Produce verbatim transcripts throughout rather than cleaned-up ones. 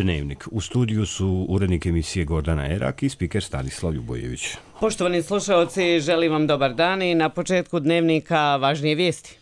Dnevnik. U studiju su urednik emisije Gordana Erak i spiker Stanislav Ljubojević. Poštovani slušalci, želim vam dobar dan i na početku Dnevnika važnije vijesti.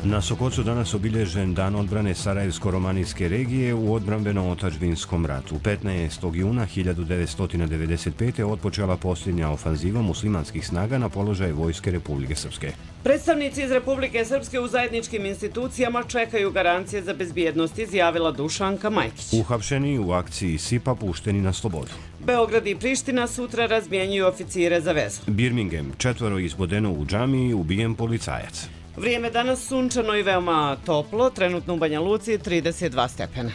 Na Sokocu danas obilježen dan odbrane Sarajevsko-romanijske regije u odbrambeno-otadžbinskom ratu. petnaestog juna hiljadu devetsto devedeset pete. otpočela posljednja ofanziva muslimanskih snaga na položaj vojske Republike Srpske. Predstavnici iz Republike Srpske u zajedničkim institucijama čekaju garancije za bezbjednost, izjavila Dušanka Majkić. Uhapšeni u akciji SIPA pušteni na slobodu. Beograd i Priština sutra razmjenjuju oficire za vezu. Birmingham, četvoro izbodeno u džamiji, ubijen policajac. Vrijeme danas sunčano i veoma toplo, trenutno u Banja Luci trideset dva stepena.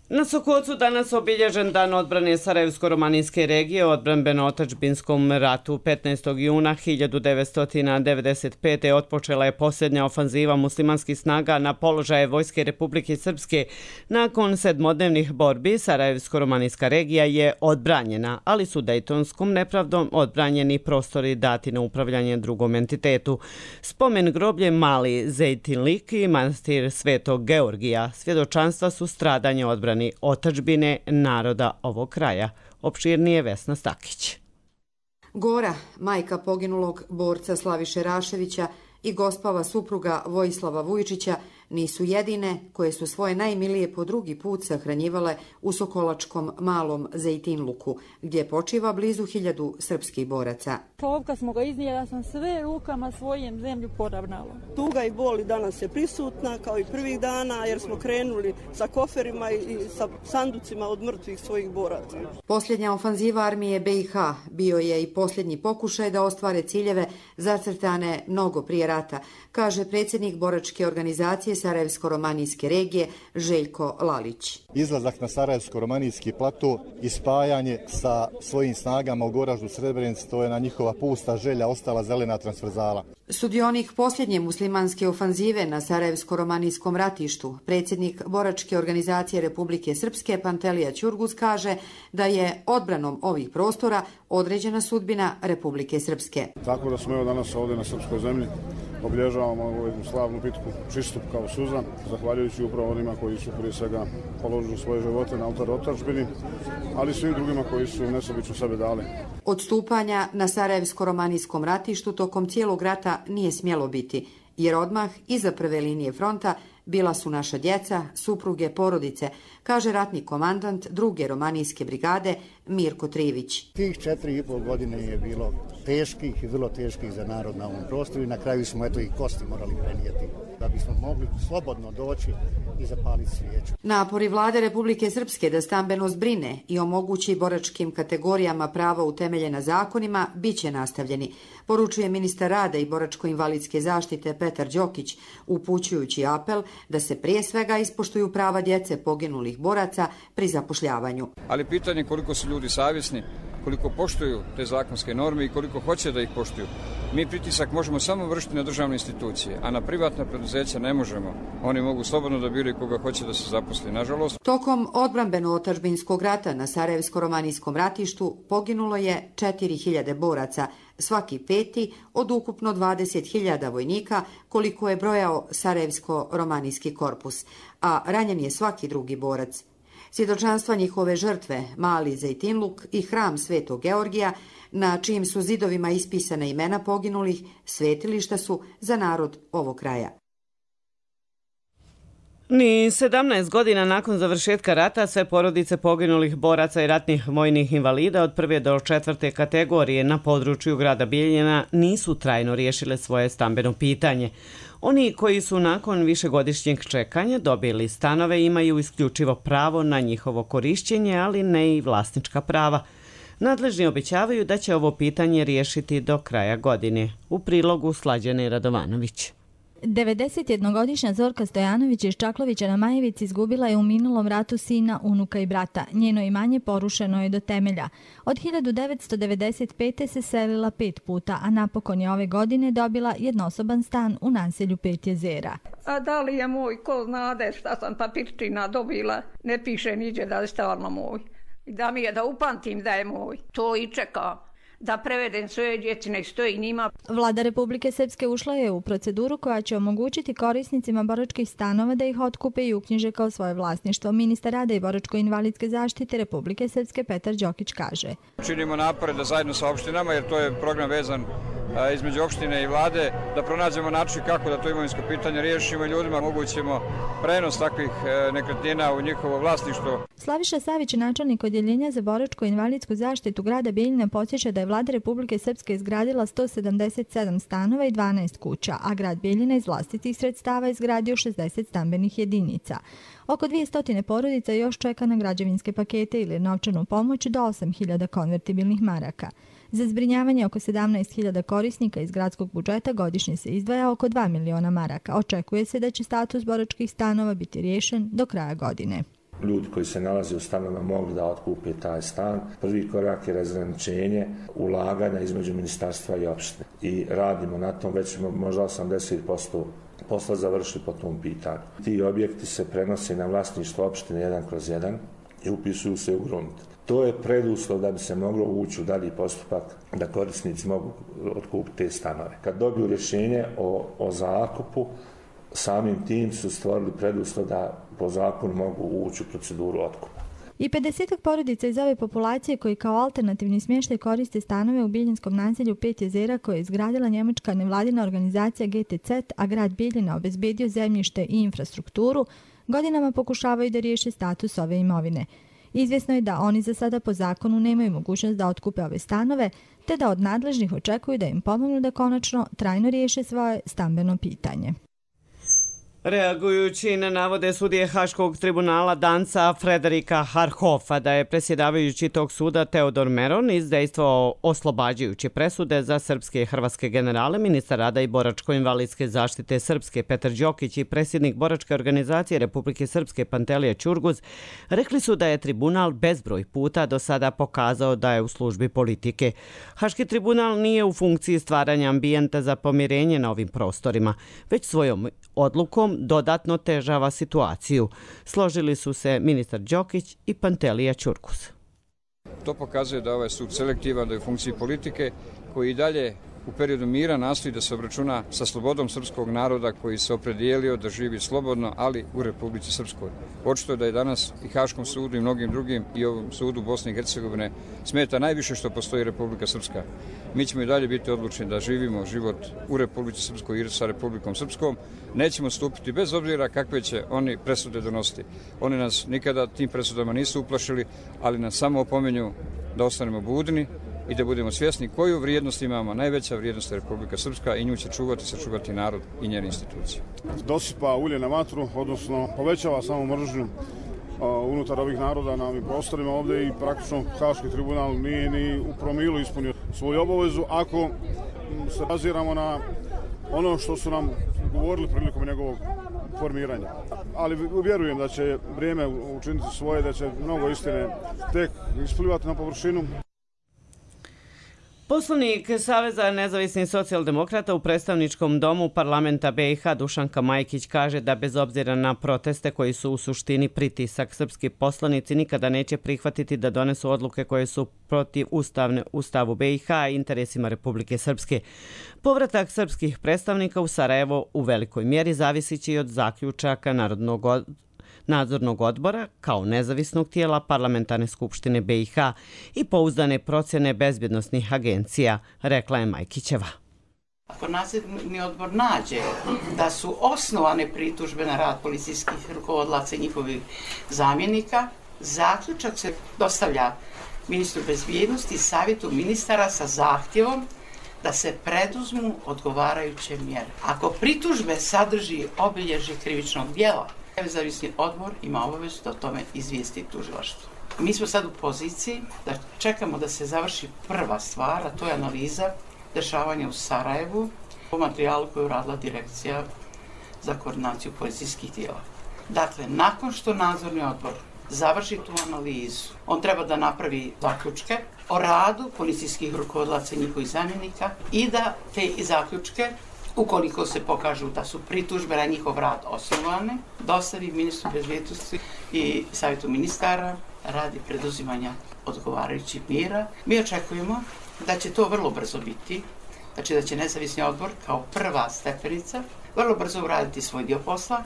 Na Sokocu danas obilježen dan odbrane Sarajevsko-romanijske regije u odbrambeno-otadžbinskom ratu. petnaestog juna hiljadu devetsto devedeset pete. otpočela je posljednja ofanziva muslimanskih snaga na položaje vojske Republike Srpske. Nakon sedmodnevnih borbi Sarajevsko-romanijska regija je odbranjena, ali su dejtonskom nepravdom odbranjeni prostori dati na upravljanje drugom entitetu. Spomen groblje Mali Zejtinlik i manastir Svetog Georgija svjedočanstva su stradanje odbrane otadžbine naroda ovog kraja. Opširnije Vesna Stakić. Gora, majka poginulog borca Slaviše Raševića i gospava supruga Vojislava Vujčića nisu jedine koje su svoje najmilije po drugi put sahranjivale u Sokolačkom malom Zejtinluku, gdje počiva blizu hiljadu srpskih boraca. Kad smo ga iznijeli, ja sam sve rukama svojim zemlju poravnala. Tuga i bol i danas je prisutna kao i prvih dana, jer smo krenuli sa koferima i sa sanducima od mrtvih svojih boraca. Posljednja ofanziva armije be i ha bio je i posljednji pokušaj da ostvare ciljeve zacrtane mnogo prije rata, kaže predsjednik boračke organizacije Sarajevsko-romanijske regije Željko Lalić. Izlazak na Sarajevsko-romanijski plato i spajanje sa svojim snagama u Goraždu Srebrenici, to je na njihova pusta želja ostala zelena transverzala. Sudionik posljednje muslimanske ofanzive na Sarajevsko-romanijskom ratištu, predsjednik boračke organizacije Republike Srpske Pantelija Ćurgus kaže da je odbranom ovih prostora određena sudbina Republike Srpske. Tako da smo evo danas ovdje na srpskoj zemlji obilježavamo ovu slavnu bitku Čistup kao suza, zahvaljujući upravo onima koji su prije svega položili svoje živote na oltar otadžbini, ali i svim drugima koji su nesebično sebe dali. Odstupanja na Sarajevsko-romanijskom ratištu tokom cijelog rata nije smjelo biti, jer odmah iza prve linije fronta bila su naša djeca, supruge, porodice, kaže ratni komandant druge romanijske brigade Mirko Trivić. Tih četiri i pol godine je bilo teških i vrlo teških za narod na ovom prostoru i na kraju smo eto i kosti morali prenijeti da bismo mogli slobodno doći i zapaliti svijeću. Napori vlade Republike Srpske da stambeno zbrine i omogući boračkim kategorijama prava utemeljena zakonima bit će nastavljeni, poručuje ministar rada i boračko-invalidske zaštite Petar Đokić, upućujući apel da se prije svega ispoštuju prava djece poginulih boraca pri zapošljavanju. Ali pitanje koliko su ljudi savjesni, koliko poštuju te zakonske norme i koliko hoće da ih poštuju. Mi pritisak možemo samo vršiti na državne institucije, a na privatna preduzeća ne možemo. Oni mogu slobodno da biraju koga hoće da se zaposli, nažalost. Tokom odbrambeno-otadžbinskog rata na Sarajevsko-romanijskom ratištu poginulo je četiri hiljade boraca, svaki peti od ukupno dvadeset hiljada vojnika koliko je brojao Sarajevsko-romanijski korpus, a ranjen je svaki drugi borac. Svjedočanstva njihove žrtve, Mali Zejtinluk i hram Svetog Georgija, na čijim su zidovima ispisane imena poginulih, svetilišta su za narod ovog kraja. Ni sedamnaest godina nakon završetka rata sve porodice poginulih boraca i ratnih vojnih invalida od prve do četvrte kategorije na području grada Bijeljina nisu trajno riješile svoje stambeno pitanje. Oni koji su nakon višegodišnjeg čekanja dobili stanove imaju isključivo pravo na njihovo korišćenje, ali ne i vlasnička prava. Nadležni obećavaju da će ovo pitanje riješiti do kraja godine. U prilogu Slađane Radovanović. devedesetjednogodišnja Zorka Stojanović iz Čaklovića na Majevici izgubila je u minulom ratu sina, unuka i brata. Njeno imanje porušeno je do temelja. Od hiljadu devetsto devedeset pete se selila pet puta, a napokon je ove godine dobila jednosoban stan u naselju Pet jezera. A da li je moj, ko znade šta sam papirčina dobila, ne piše niđe da je stvarno moj. Da mi je da upamtim da je moj. To i čeka. Da prevedem svoje djeci, nek stoji njima. Vlada Republike Srpske ušla je u proceduru koja će omogućiti korisnicima boračkih stanova da ih otkupe i uknjiže kao svoje vlasništvo. Ministar rada i boračko-invalidske zaštite Republike Srpske Petar Đokić kaže. Činimo napore da zajedno sa opštinama, jer to je program vezan između opštine i vlade, da pronađemo način kako da to imovinsko pitanje riješimo i ljudima omogućimo prenos takvih nekretnina u njihovo vlasništvo. Slaviša Savić, načelnik odjeljenja za boračko-invalidsku zaštitu grada Bijeljina, podsjeća da je Vlada Republike Srpske izgradila sto sedamdeset sedam stanova i dvanaest kuća, a grad Bijeljina iz vlastitih sredstava izgradio šezdeset stambenih jedinica. Oko dvjesto porodica još čeka na građevinske pakete ili novčanu pomoć do osam hiljada konvertibilnih maraka. Za zbrinjavanje oko sedamnaest hiljada korisnika iz gradskog budžeta godišnje se izdvaja oko dva miliona maraka. Očekuje se da će status boračkih stanova biti riješen do kraja godine. Ljudi koji se nalaze u stanovima mogli da otkupe taj stan. Prvi korak je razgraničenje ulaganja između ministarstva i opštine. I radimo na tom, već ćemo možda osamdeset posto posla završiti po tom pitanju. Ti objekti se prenose na vlasništvo opštine jedan kroz jedan i upisuju se u grunt. To je preduslov da bi se moglo ući u dalji postupak da korisnici mogu otkupiti te stanove. Kad dobiju rješenje o, o zakupu, samim tim su stvorili preduslov da po zakonu mogu ući u proceduru otkupa. I pedesetak porodica iz ove populacije koji kao alternativni smještaj koriste stanove u Biljinskom naselju Pet jezera koje je izgradila njemačka nevladina organizacija G T C, a grad Bijeljina obezbedio zemljište i infrastrukturu, godinama pokušavaju da riješe status ove imovine. Izvjesno je da oni za sada po zakonu nemaju mogućnost da otkupe ove stanove, te da od nadležnih očekuju da im pomognu da konačno trajno riješe svoje stambeno pitanje. Reagujući na navode sudije Haškog tribunala Danca Frederika Harhofa da je predsjedavajući tog suda Teodor Meron izdejstvovao oslobađajuće presude za srpske i hrvatske generale, ministar rada i boračko-invalidske zaštite Srpske Petar Đokić i predsjednik boračke organizacije Republike Srpske Pantelija Ćurguz rekli su da je tribunal bezbroj puta do sada pokazao da je u službi politike. Haški tribunal nije u funkciji stvaranja ambijenta za pomirenje na ovim prostorima, već svojom odlukom dodatno težava situaciju. Složili su se ministar Đokić i Pantelija Ćurguz. To pokazuje da ovaj sud selektivan, da je u funkciji politike koji i dalje u periodu mira nastoji da se obračuna sa slobodom srpskog naroda koji se opredijelio da živi slobodno, ali u Republici Srpskoj. Očito je da je danas i Haškom sudu i mnogim drugim i ovom sudu Bosne i Hercegovine smeta najviše što postoji Republika Srpska. Mi ćemo i dalje biti odlučni da živimo život u Republici Srpskoj i sa Republikom Srpskom. Nećemo stupiti bez obzira kakve će oni presude donositi. Oni nas nikada tim presudama nisu uplašili, ali nas samo opominju da ostanemo budni i da budemo svjesni koju vrijednost imamo. Najveća vrijednost je Republika Srpska i nju će čuvati i sačuvati narod i njene institucije. Dosipa ulje na vatru, odnosno povećava samo mržnju unutar ovih naroda na ovim prostorima ovdje i praktično Haški tribunal nije ni u promilu ispunio svoju obavezu ako se baziramo na ono što su nam govorili prilikom njegovog formiranja. Ali vjerujem da će vrijeme učiniti svoje, da će mnogo istine tek isplivati na površinu. Poslanik Saveza nezavisnih socijaldemokrata u predstavničkom domu parlamenta B i H Dušanka Majkić kaže da bez obzira na proteste koji su u suštini pritisak, srpski poslanici nikada neće prihvatiti da donesu odluke koje su protiv ustavne ustavu B i H i interesima Republike Srpske. Povratak srpskih predstavnika u Sarajevo u velikoj mjeri zavisići od zaključaka Narodnog odbora nadzornog odbora kao nezavisnog tijela Parlamentarne skupštine B i H i pouzdane procjene bezbjednosnih agencija, rekla je Majkićeva. Ako nadzorni odbor nađe da su osnovane pritužbe na rad policijskih rukovodlaca i njihovih zamjenika, zaključak se dostavlja ministru bezbjednosti i savjetu ministara sa zahtjevom da se preduzmu odgovarajuće mjere. Ako pritužbe sadrži obilježje krivičnog djela, nezavisni odbor ima obavezu da o tome izvijesti tužilaštvo. Mi smo sad u poziciji da čekamo da se završi prva stvar, a to je analiza dešavanja u Sarajevu po materijalu koju je uradila Direkcija za koordinaciju policijskih tijela. Dakle, nakon što nadzorni odbor završi tu analizu, on treba da napravi zaključke o radu policijskih rukovodlaca i njihovih zamjenika i da te zaključke, ukoliko se pokažu da su pritužbe na njihov rad osnovane, dostavi ministru bezbjednosti i savjetu ministara radi preduzimanja odgovarajućih mjera. Mi očekujemo da će to vrlo brzo biti, znači da će nezavisni odbor kao prva stepenica vrlo brzo uraditi svoj dio posla.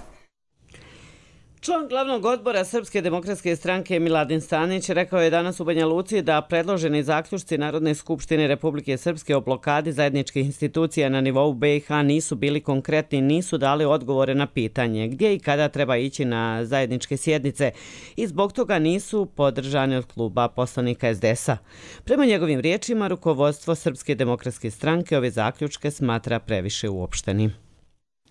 Član glavnog odbora Srpske demokratske stranke Miladin Stanić rekao je danas u Banja Luci da predloženi zaključci Narodne skupštine Republike Srpske o blokadi zajedničkih institucija na nivou B i H nisu bili konkretni, nisu dali odgovore na pitanje gdje i kada treba ići na zajedničke sjednice i zbog toga nisu podržani od kluba poslanika S D S-a. Prema njegovim riječima, rukovodstvo Srpske demokratske stranke ove zaključke smatra previše uopštenim.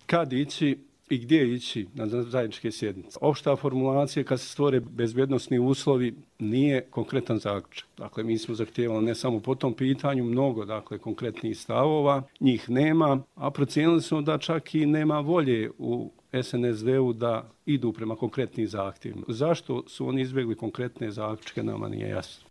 Kad ići i gdje ići na zajedničke sjednice? Opšta formulacija kad se stvore bezbjednosni uslovi nije konkretan zaključak. Dakle, mi smo zahtijevali ne samo po tom pitanju mnogo, dakle, konkretnih stavova, njih nema, a procijenili smo da čak i nema volje u S N S D-u da idu prema konkretnim zahtjevima. Zašto su oni izbjegli konkretne zaključke, nama nije jasno.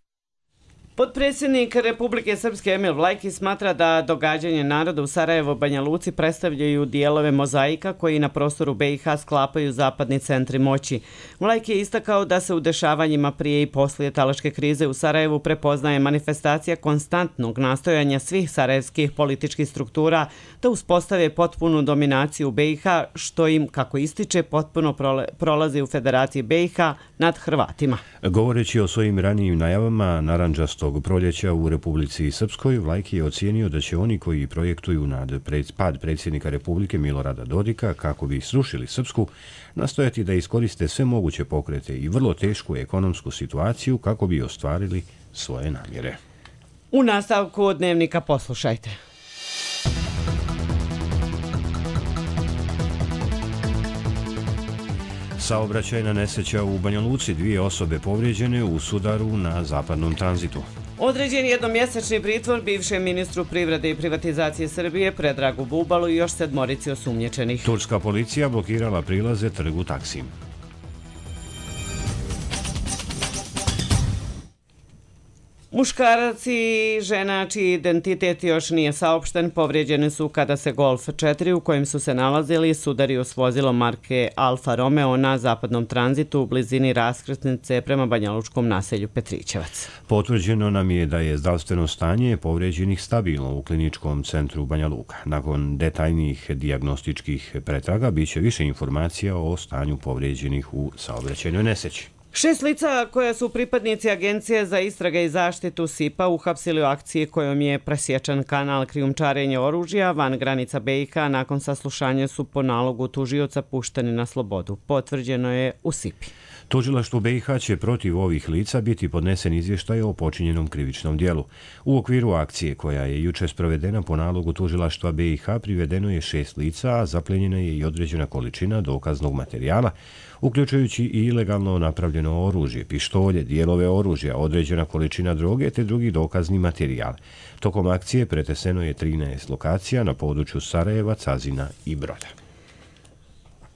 Potpredsjednik Republike Srpske Emil Vlajki smatra da događanje naroda u Sarajevo Banja Luci predstavljaju dijelove mozaika koji na prostoru B i H sklapaju zapadni centri moći. Vlajki je istakao da se u dešavanjima prije i poslije talačke krize u Sarajevu prepoznaje manifestacija konstantnog nastojanja svih sarajevskih političkih struktura da uspostave potpunu dominaciju B i H, što im, kako ističe, potpuno prolazi u Federaciji B i H nad Hrvatima. Govoreći o svojim ranijim najavama narandžastog proljeća u Republici Srpskoj, Vlajki je ocijenio da će oni koji projektuju nad pad predsjednika Republike Milorada Dodika kako bi srušili Srpsku, nastojati da iskoriste sve moguće pokrete i vrlo tešku ekonomsku situaciju kako bi ostvarili svoje namjere. U nastavku Dnevnika poslušajte. Saobraćajna nesreća u Banja Luci, dvije osobe povrijeđene u sudaru na zapadnom tranzitu. Određen jednomjesečni pritvor bivšem ministru privrede i privatizacije Srbije Predragu Bubalu i još sedmorici osumnjičenih. Turska policija blokirala prilaze trgu Taksim. Muškarac i žena čiji identitet još nije saopšten povrijeđeni su kada se Golf četiri u kojem su se nalazili sudario s vozilom marke Alfa Romeo na zapadnom tranzitu u blizini raskrsnice prema banjalučkom naselju Petrićevac. Potvrđeno nam je da je zdravstveno stanje povrijeđenih stabilno u kliničkom centru Banja Luka. Nakon detaljnijih dijagnostičkih pretraga bit će više informacija o stanju povrijeđenih u saobraćajnoj nesreći. Šest lica koja su pripadnici Agencije za istrage i zaštitu S I P-a uhapsili u akciji kojom je presječan kanal krijumčarenja oružja van granica B i H nakon saslušanja su po nalogu tužioca pušteni na slobodu. Potvrđeno je u S I P-i. Tužilaštvu B i H će protiv ovih lica biti podnesen izvještaj o počinjenom krivičnom dijelu. U okviru akcije koja je juče sprovedena po nalogu tužilaštva B i H privedeno je šest lica, a zaplenjena je i određena količina dokaznog materijala, uključujući i ilegalno napravljeno oružje, pištolje, dijelove oružja, određena količina droge te drugi dokazni materijal. Tokom akcije preteseno je trinaest lokacija na području Sarajeva, Cazina i Broda.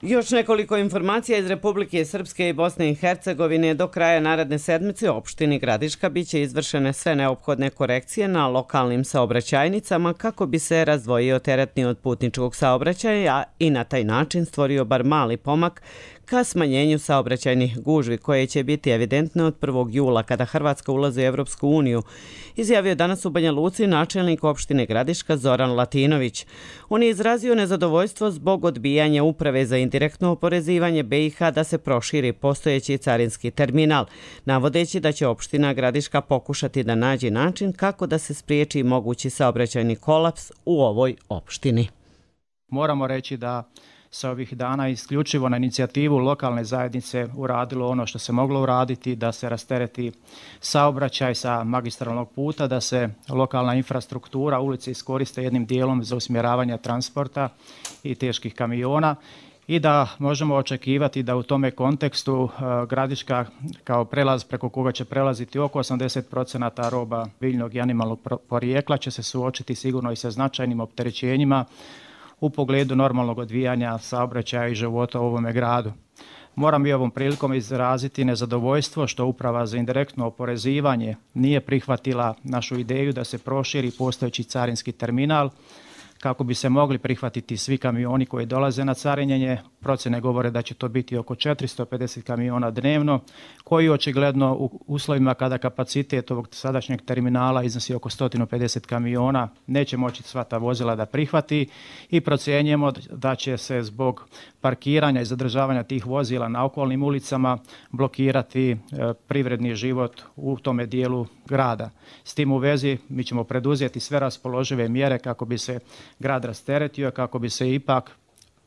Još nekoliko informacija iz Republike Srpske i Bosne i Hercegovine. Do kraja naredne sedmice u opštini Gradiška biće izvršene sve neophodne korekcije na lokalnim saobraćajnicama kako bi se razdvojio teretni od putničkog saobraćaja i na taj način stvorio bar mali pomak ka smanjenju saobraćajnih gužvi koje će biti evidentne od prvog jula kada Hrvatska ulazi u Evropsku uniju, izjavio danas u Banja Luci načelnik opštine Gradiška Zoran Latinović. On je izrazio nezadovoljstvo zbog odbijanja uprave za indirektno oporezivanje B i H da se proširi postojeći carinski terminal, navodeći da će opština Gradiška pokušati da nađe način kako da se spriječi mogući saobraćajni kolaps u ovoj opštini. Moramo reći da se ovih dana isključivo na inicijativu lokalne zajednice uradilo ono što se moglo uraditi, da se rastereti saobraćaj sa magistralnog puta, da se lokalna infrastruktura, ulice iskoriste jednim dijelom za usmjeravanje transporta i teških kamiona i da možemo očekivati da u tome kontekstu Gradiška kao prelaz preko koga će prelaziti oko osamdeset procenata roba biljnog i animalnog porijekla će se suočiti sigurno i sa značajnim opterećenjima u pogledu normalnog odvijanja saobraćaja i života u ovome gradu. Moram i ovom prilikom izraziti nezadovoljstvo što Uprava za indirektno oporezivanje nije prihvatila našu ideju da se proširi postojeći carinski terminal kako bi se mogli prihvatiti svi kamioni koji dolaze na carinjenje. Procjene govore da će to biti oko četiristo pedeset kamiona dnevno, koji očigledno u uslovima kada kapacitet ovog sadašnjeg terminala iznosi oko sto pedeset kamiona, neće moći sva ta vozila da prihvati i procjenjujemo da će se zbog parkiranja i zadržavanja tih vozila na okolnim ulicama blokirati privredni život u tome dijelu grada. S tim u vezi mi ćemo preduzeti sve raspoložive mjere kako bi se grad rasteretio, kako bi se ipak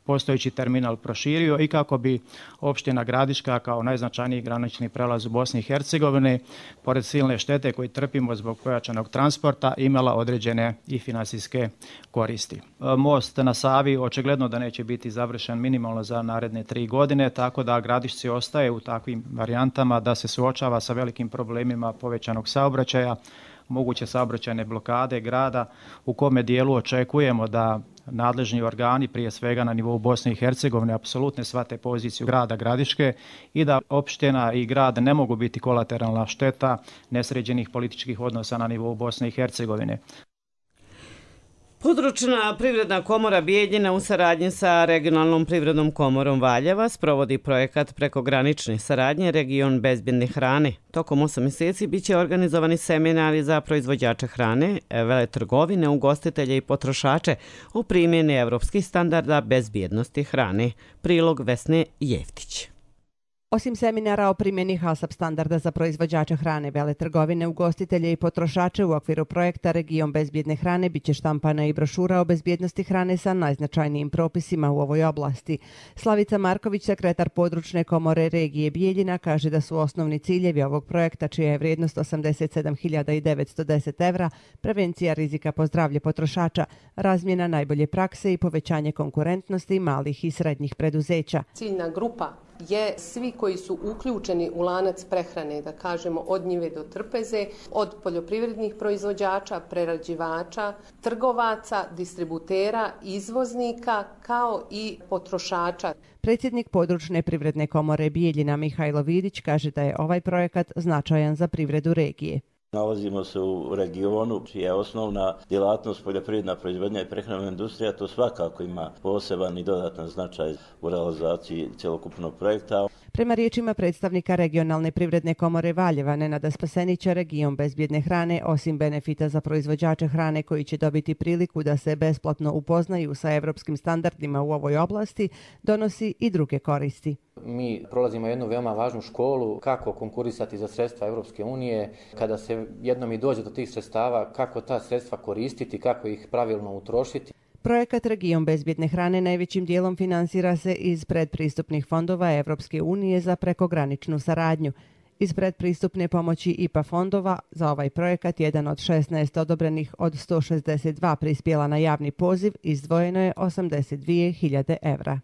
postojeći terminal proširio i kako bi opština Gradiška kao najznačajniji granični prelaz u Bosni i Hercegovini, pored silne štete koju trpimo zbog pojačanog transporta, imala određene i finansijske koristi. Most na Savi očigledno da neće biti završen minimalno za naredne tri godine, tako da Gradišci ostaje u takvim varijantama da se suočava sa velikim problemima povećanog saobraćaja, moguće saobraćajne blokade grada, u kome dijelu očekujemo da nadležni organi, prije svega na nivou Bosne i Hercegovine, apsolutno shvate poziciju grada Gradiške i da opština i grad ne mogu biti kolateralna šteta nesređenih političkih odnosa na nivou Bosne i Hercegovine. Područna privredna komora Bijeljina u saradnji sa regionalnom privrednom komorom Valjeva sprovodi projekat prekogranične saradnje Region bezbjedne hrane. Tokom osam mjeseci biće organizovani seminari za proizvođače hrane, veletrgovine, ugostitelje i potrošače o primjeni evropskih standarda bezbjednosti hrane. Prilog Vesne Jeftić. Osim seminara o primjeni HASAP standarda za proizvođače hrane, veletrgovine, ugostitelje i potrošače u okviru projekta Region bezbjedne hrane biće štampana i brošura o bezbjednosti hrane sa najznačajnijim propisima u ovoj oblasti. Slavica Marković, sekretar područne komore regije Bijeljina, kaže da su osnovni ciljevi ovog projekta, čija je vrijednost osamdeset sedam hiljada devetsto deset evra, prevencija rizika po zdravlje potrošača, razmjena najbolje prakse i povećanje konkurentnosti malih i srednjih preduzeća. Ciljna grupa je svi koji su uključeni u lanac prehrane, da kažemo od njive do trpeze, od poljoprivrednih proizvođača, prerađivača, trgovaca, distributera, izvoznika, kao i potrošača. Predsjednik područne privredne komore Bijeljina Mihajlo Vidić kaže da je ovaj projekat značajan za privredu regije. Nalazimo se u regionu čija je osnovna djelatnost poljoprivredna proizvodnja i prehrambena industrija, to svakako ima poseban i dodatan značaj u realizaciji cjelokupnog projekta. Prema riječima predstavnika regionalne privredne komore Valjeva Nenada Spasenića, Region bezbjedne hrane, osim benefita za proizvođače hrane koji će dobiti priliku da se besplatno upoznaju sa evropskim standardima u ovoj oblasti, donosi i druge koristi. Mi prolazimo jednu veoma važnu školu kako konkurisati za sredstva Europske unije, kada se jednom i dođe do tih sredstava, kako ta sredstva koristiti, kako ih pravilno utrošiti. Projekat Region bezbjedne hrane najvećim dijelom finansira se iz predpristupnih fondova Evropske unije za prekograničnu saradnju. Iz predpristupne pomoći I P A fondova za ovaj projekat, jedan od šesnaest odobrenih od sto šezdeset dva prispjela na javni poziv, izdvojeno je osamdeset dvije hiljade evra.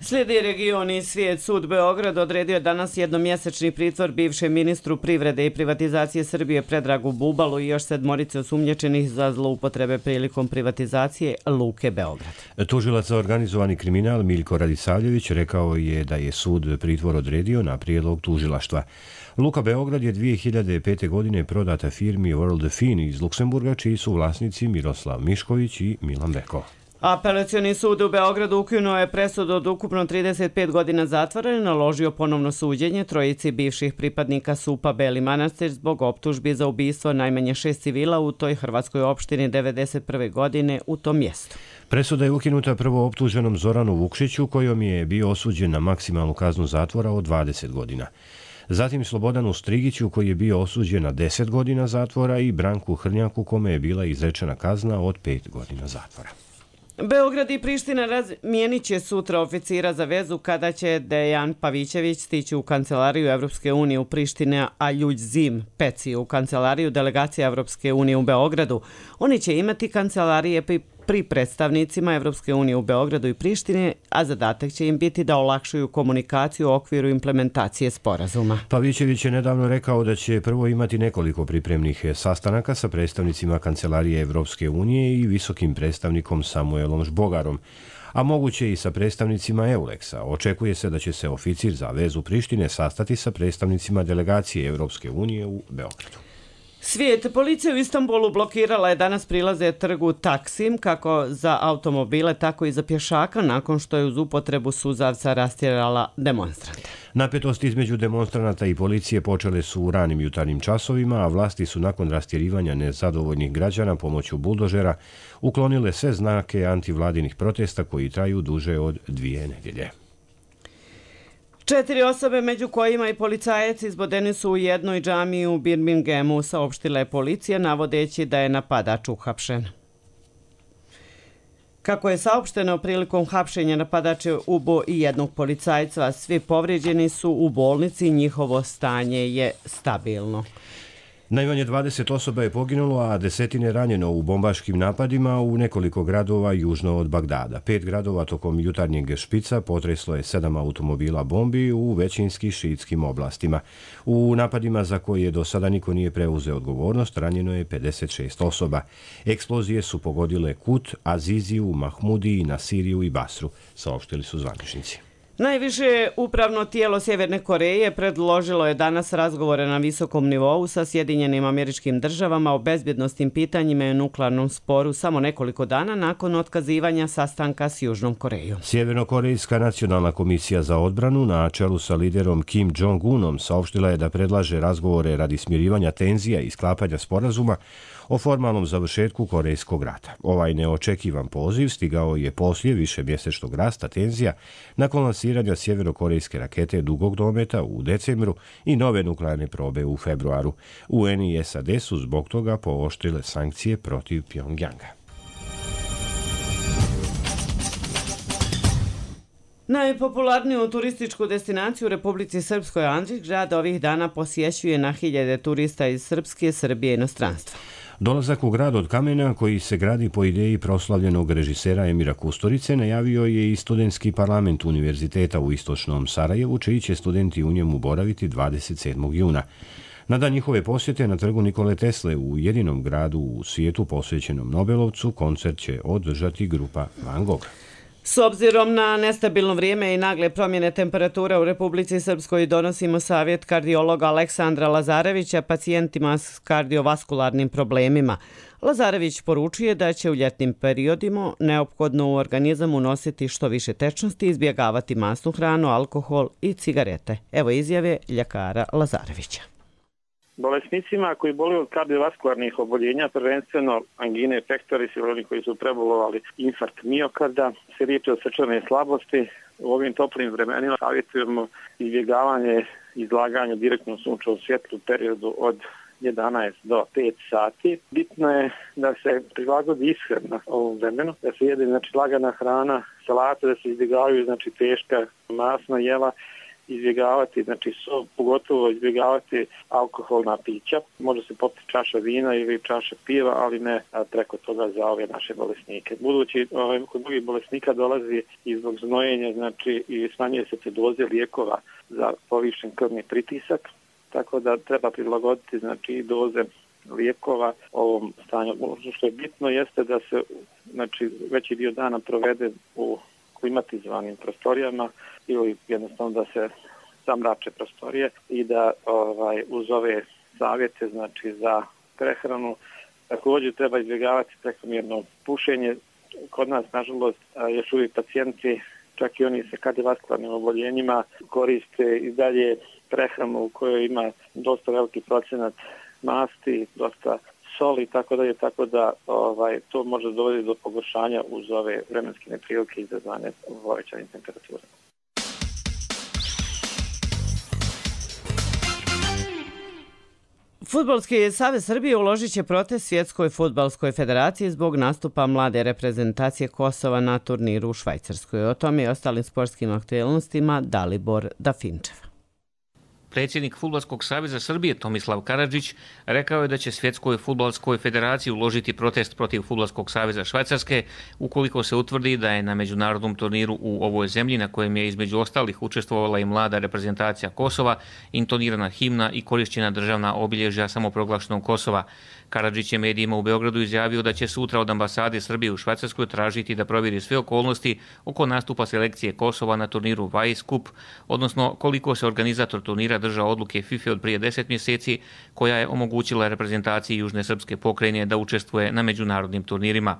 Slijedi Region i svijet. Sud Beograd odredio danas jednomjesečni pritvor bivšem ministru privrede i privatizacije Srbije Predragu Bubalu i još sedmorice osumnjičenih za zloupotrebe prilikom privatizacije Luke Beograd. Tužilac za organizovani kriminal Miljko Radisavljević rekao je da je sud pritvor odredio na prijedlog tužilaštva. Luka Beograd je dvije hiljade pete. godine prodata firmi World Fin iz Luksemburga, čiji su vlasnici Miroslav Mišković i Milan Beko. Apelacioni sud u Beogradu ukinuo je presudu od ukupno trideset pet godina zatvora i naložio ponovno suđenje trojici bivših pripadnika S U P A Beli Manastir zbog optužbi za ubistvo najmanje šest civila u toj hrvatskoj opštini devedeset prve. godine u tom mjestu. Presuda je ukinuta prvo optuženom Zoranu Vukšiću, kojom je bio osuđen na maksimalnu kaznu zatvora od dvadeset godina. Zatim Slobodanu Strigiću, koji je bio osuđen na deset godina zatvora, i Branku Hrnjaku, kome je bila izrečena kazna od pet godina zatvora. Beograd i Priština razmijenit će sutra oficira za vezu kada će Dejan Pavićević stići u kancelariju Evropske unije u Prištine, a Ljuđzim Peci u kancelariju delegacije Evropske unije u Beogradu. Oni će imati kancelarije pri predstavnicima Evropske unije u Beogradu i Prištine, a zadatak će im biti da olakšuju komunikaciju u okviru implementacije sporazuma. Pavićević je nedavno rekao da će prvo imati nekoliko pripremnih sastanaka sa predstavnicima kancelarije Evropske unije i visokim predstavnikom Samuelom Žbogarom, a moguće i sa predstavnicima Euleksa. Očekuje se da će se oficir za vezu Prištine sastati sa predstavnicima delegacije Evropske unije u Beogradu. Svijet. Policija u Istanbulu blokirala je danas prilaze trgu Taksim kako za automobile, tako i za pješaka nakon što je uz upotrebu suzavca rastjerala demonstrante. Napetosti između demonstranata i policije počele su u ranim jutarnjim časovima, a vlasti su nakon rastjerivanja nezadovoljnih građana pomoću buldožera uklonile sve znake antivladinih protesta koji traju duže od dvije nedjelje. Četiri osobe, među kojima i policajac, izbodeni su u jednoj džamiji u Birminghamu, saopštila je policija, navodeći da je napadač uhapšen. Kako je saopšteno, prilikom hapšenja napadač je ubio i jednog policajca, svi povrijeđeni su u bolnici, njihovo stanje je stabilno. Najmanje dvadeset osoba je poginulo, a desetine ranjeno u bombaškim napadima u nekoliko gradova južno od Bagdada. Pet gradova tokom jutarnjeg špica potreslo je sedam automobila bombi u većinski šiitskim oblastima. U napadima za koje do sada niko nije preuzeo odgovornost, ranjeno je pedeset šest osoba. Eksplozije su pogodile Kut, Aziziju, Mahmudiji, Nasiriju i Basru, saopštili su zvaničnici. Najviše upravno tijelo Sjeverne Koreje predložilo je danas razgovore na visokom nivou sa Sjedinjenim Američkim Državama o bezbjednosnim pitanjima i nuklearnom sporu samo nekoliko dana nakon otkazivanja sastanka s Južnom Korejom. Sjevernokorejska nacionalna komisija za odbranu na čelu sa liderom Kim Jong-unom saopštila je da predlaže razgovore radi smirivanja tenzija i sklapanja sporazuma o formalnom završetku Korejskog rata. Ovaj neočekivan poziv stigao je poslije višemjesečnog rasta tenzija nakon lansiranja sjevernokorejske rakete dugog dometa u decembru i nove nuklearne probe u februaru. U en i es a de su zbog toga pooštrile sankcije protiv Pjongjanga. Najpopularniju turističku destinaciju u Republici Srpskoj, Andrić grad, ovih dana posjećuje na hiljade turista iz Srpske, Srbije i inostranstva. Dolazak u grad od kamena, koji se gradi po ideji proslavljenog režisera Emira Kusturice, najavio je i studentski parlament Univerziteta u istočnom Sarajevu, čiji će studenti u njemu boraviti dvadeset sedmog juna. Na dan njihove posjete na trgu Nikole Tesle u jedinom gradu u svijetu posvećenom Nobelovcu, koncert će održati grupa Van Gogh. S obzirom na nestabilno vrijeme i nagle promjene temperature u Republici Srpskoj, donosimo savjet kardiologa Aleksandra Lazarevića pacijentima s kardiovaskularnim problemima. Lazarević poručuje da će u ljetnim periodima neophodno u organizam unositi što više tečnosti, izbjegavati masnu hranu, alkohol i cigarete. Evo izjave ljekara Lazarevića. Bolesnicima koji boluju od kardiovaskularnih oboljenja, prvenstveno angine pectoris ili oni koji su prebolovali infarkt miokarda, se liječe od srčane slabosti. U ovim toplim vremenima savjetujemo izbjegavanje izlaganja direktnom sunčevom svjetlu u periodu od jedanaest do pet sati. Bitno je da se prilagodi ishrana ovom vremenu, da se jede znači lagana hrana, salate, da se izbjegavaju znači teška masna jela, izbjegavati, znači so, pogotovo izbjegavati alkoholna pića. Može se popiti čaša vina ili čaša piva, ali ne preko toga za ove naše bolesnike. Budući ovaj, kod drugih bolesnika dolazi i zbog znojenja, znači i smanjuje se te doze lijekova za povišen krvni pritisak, tako da treba prilagoditi znači i doze lijekova ovom stanju. Ono što je bitno jeste da se znači veći dio dana provede u klimatizovanim prostorijama ili jednostavno da se zamrače prostorije i da ovaj, uz ove savjete znači za prehranu također treba izbjegavati prekomjerno pušenje. Kod nas, nažalost, još uvijek pacijenti, čak i oni sa kardiovaskularnim oboljenjima, koriste i dalje prehranu u kojoj ima dosta veliki procenat masti, dosta soli, tako da je tako da ovaj, to može dovoditi do pogoršanja uz ove vremenske neprilike izazvane povećanim temperaturama. Fudbalski savez Srbije uložit će protest Svjetskoj fudbalskoj federaciji zbog nastupa mlade reprezentacije Kosova na turniru u Švajcarskoj. O tome i ostalim sportskim aktualnostima Dalibor Dafinčev. Predsjednik Fudbalskog saveza Srbije Tomislav Karadžić rekao je da će Svjetskoj fudbalskoj federaciji uložiti protest protiv Fudbalskog saveza Švajcarske ukoliko se utvrdi da je na međunarodnom turniru u ovoj zemlji, na kojem je između ostalih učestvovala i mlada reprezentacija Kosova, intonirana himna i korišćena državna obilježja samoproglašenog Kosova. Karadžić je medijima u Beogradu izjavio da će sutra od ambasade Srbije u Švajcarskoj tražiti da provjeri sve okolnosti oko nastupa selekcije Kosova na turniru Vice Cup, odnosno koliko se organizator turnira držao odluke FIFA od prije deset mjeseci, koja je omogućila reprezentaciji Južne srpske pokrajine da učestvuje na međunarodnim turnirima.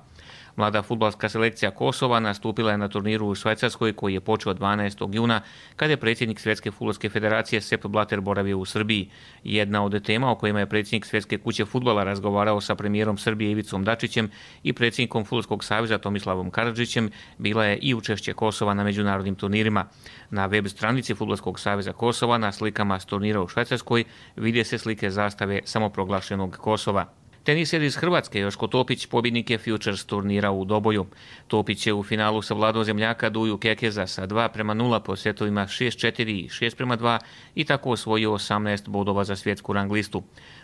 Mlada fudbalska selekcija Kosova nastupila je na turniru u Švajcarskoj koji je počeo dvanaestog juna kada je predsjednik Svjetske fudbalske federacije Sepp Blatter boravio u Srbiji. Jedna od tema o kojima je predsjednik Svjetske kuće fudbala razgovarao sa premijerom Srbije Ivicom Dačićem i predsjednikom Fudbalskog saveza Tomislavom Karadžićem bila je i učešće Kosova na međunarodnim turnirima. Na web stranici Fudbalskog saveza Kosova na slikama s turnira u Švajcarskoj vide se slike zastave samoproglašenog Kosova. Teniser iz Hrvatske Joško Topić pobjednik je Futures turnira u Doboju. Topić je u finalu savladao zemljaka Duju Kekeza sa dva prema nula po setovima šest četiri i šest prema dva i tako osvojio osamnaest bodova za svjetsku rang listu.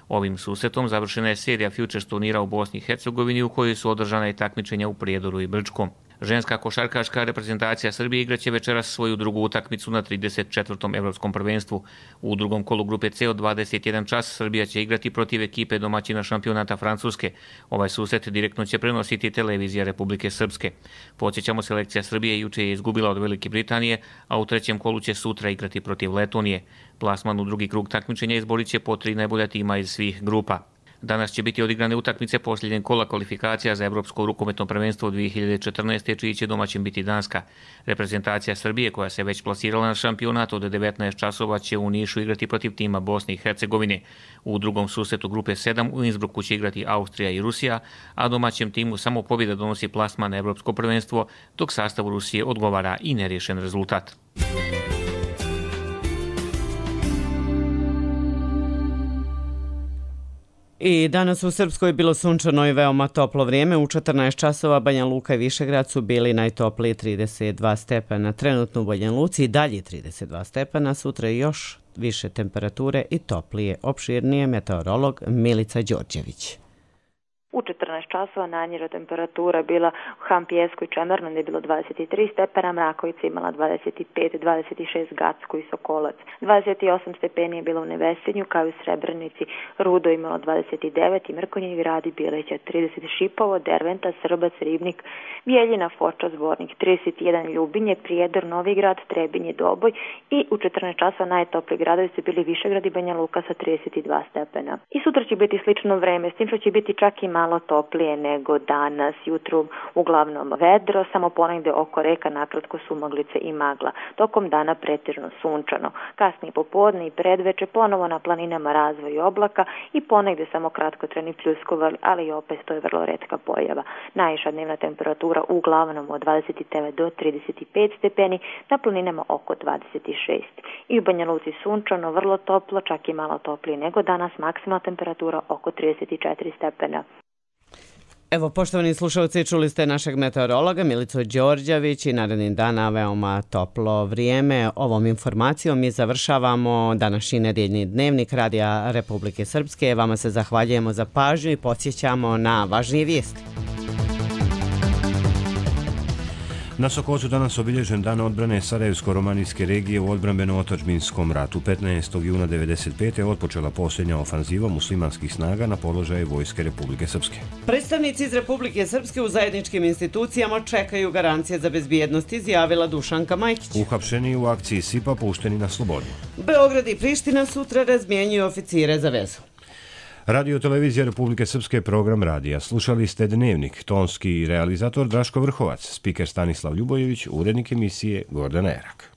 Ovim susretom završena je serija Futures turnira u Bosni i Hercegovini u kojoj su održana i takmičenja u Prijedoru i Brčkom. Ženska košarkaška reprezentacija Srbije igraće večeras svoju drugu utakmicu na trideset četvrtom evropskom prvenstvu. U drugom kolu grupe C od dvadeset jedan čas Srbija će igrati protiv ekipe domaćina šampionata Francuske. Ovaj susret direktno će prenositi televizija Republike Srpske. Podsjećamo, selekcija Srbije juče je izgubila od Velike Britanije, a u trećem kolu će sutra igrati protiv Letonije. Plasman u drugi krug takmičenja izborit će po tri najbolja tima iz svih grupa. Danas će biti odigrane utakmice posljednjeg kola kvalifikacija za Evropsko rukometno prvenstvo dvije hiljade četrnaeste. čiji će domaćin biti Danska. Reprezentacija Srbije, koja se već plasirala na šampionat od devetnaest časova, će u Nišu igrati protiv tima Bosne i Hercegovine. U drugom susretu grupe sedam u Innsbrucku će igrati Austrija i Rusija, a domaćem timu samo pobjeda donosi plasman na Evropsko prvenstvo, dok sastavu Rusije odgovara i neriješen rezultat. I danas u Srpskoj je bilo sunčano i veoma toplo vrijeme. U četrnaest časova Banja Luka i Višegrad su bili najtopliji trideset dva stepena. Trenutno u Banja Luci i dalje trideset dva stepena. Sutra još više temperature i toplije. Opširnije meteorolog Milica Đorđević. U četrnaest časova najniža temperatura bila u Hampijesku i Čemernu, gdje je bilo dvadeset tri stepena, Mrakovica imala dvadeset pet, dvadeset šest Gacko i Sokolac. dvadeset osam stepeni je bilo u Nevesinju, kao i u Srebrenici, Rudo imalo dvadeset devet i Mrkonjić Grad i Bileća trideset, Šipovo, Derventa, Srbac, Ribnik, Bijeljina, Foča, Zvornik trideset jedan, Ljubinje, Prijedor, Novigrad, Trebinje, Doboj i u četrnaest časova najtopliji gradovi su bili Višegrad i Banja Luka sa trideset dva stepena. I sutra će biti slično vreme, s tim što će biti čak i malo toplije nego danas, jutru uglavnom vedro, samo ponegde oko reka nakratko sumaglice i magla. Tokom dana pretežno sunčano. Kasnije popodne i predveče ponovo na planinama razvoj oblaka i ponegde samo kratkotrajni pljuskoval, ali i opet to je vrlo retka pojava. Najviša dnevna temperatura uglavnom od dvadeset devet do trideset pet stepeni, na planinama oko dvadeset šest. I u Banja Luci sunčano, vrlo toplo, čak i malo toplije nego danas, maksimalna temperatura oko trideset četiri stepena. Evo, poštovani slušalci, čuli ste našeg meteorologa Milicu Đorđević i narednih dana veoma toplo vrijeme. Ovom informacijom mi završavamo današnji nedjeljni dnevnik Radija Republike Srpske. Vama se zahvaljujemo za pažnju i podsjećamo na važnije vijesti. Na Sokocu danas obilježen dan odbrane Sarajevsko-romanijske regije u odbrambeno-otadžbinskom ratu. petnaestog juna devedeset pete otpočela posljednja ofanziva muslimanskih snaga na položaje Vojske Republike Srpske. Predstavnici iz Republike Srpske u zajedničkim institucijama čekaju garancije za bezbjednost, izjavila Dušanka Majkić. Uhapšeni u akciji Sipa pušteni na slobodu. Beograd i Priština sutra razmjenjuju oficire za vezu. Radio televizija Republike Srpske, program radija. Slušali ste Dnevnik, tonski realizator Draško Vrhovac, spiker Stanislav Ljubojević, urednik emisije Gordana Erak.